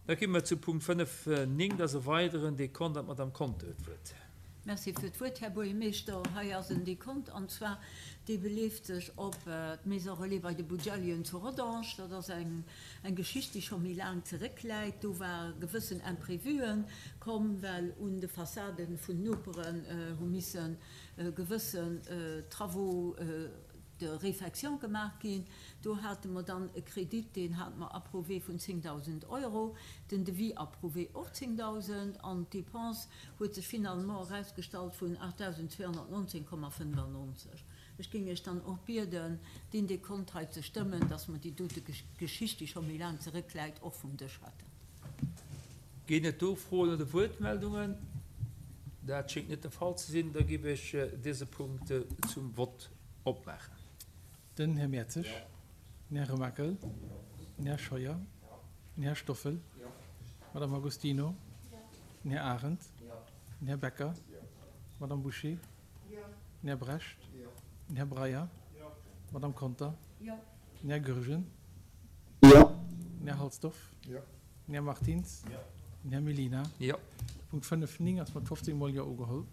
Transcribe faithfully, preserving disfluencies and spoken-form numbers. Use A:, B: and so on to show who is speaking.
A: Da gi mer zu Punkt fënnef néng, dat ass e weideren Dekont an d'Madame Conter huet d'Wuert.
B: Merci fir d'Wuert, Här Buergermeeschter. Hei ass en Dekont, an zwar dee beleeft sech op d'Maison Relais bei de Bugellien zu Rodange. Dat ass eng eng Geschicht, déi scho méi laang zeréckläit. Do ware gewëssen Imprévuen komm, well un de Fassade vun Noperen hu misse gewëssen Travaux de réfection gemaach ginn. Do hate mer dann e Kredit, deen hate mer approuvé vun zéngdausend Euro, den Devis approuvé och zéngdausend, an d'Dépense huet sech finalement erausgestallt vun aachtausendzweehonnertnonzéng Komma fënnefannonzeg. Ech géing Iech dann och bieden, deen Dekont hei ze stëmmen, dass mer déi dote Geschicht, déi scho méi laang zeréckläit, och vum Dësch hätten.
A: Ginn et do Froen oder Wuertmeldungen? Dat schéngt net de Fall ze sinn. Da géif ech dëse Punkt zum Vott opmaachen.
C: Den Här Mertzig, den Här Remakel, den Här Scheuer, den Här Stoffel, d'Madame Agostino, den Här Arendt, den Här Becker, d'Madame Bouché, den Här Brecht, den Här Breyer, d'Madame Conter, den Här Goergen, den Här Halsdorf, den Här Martins, den Här Mellina. Punkt fënnef néng ass mat fofzéng mol Jo ugeholl.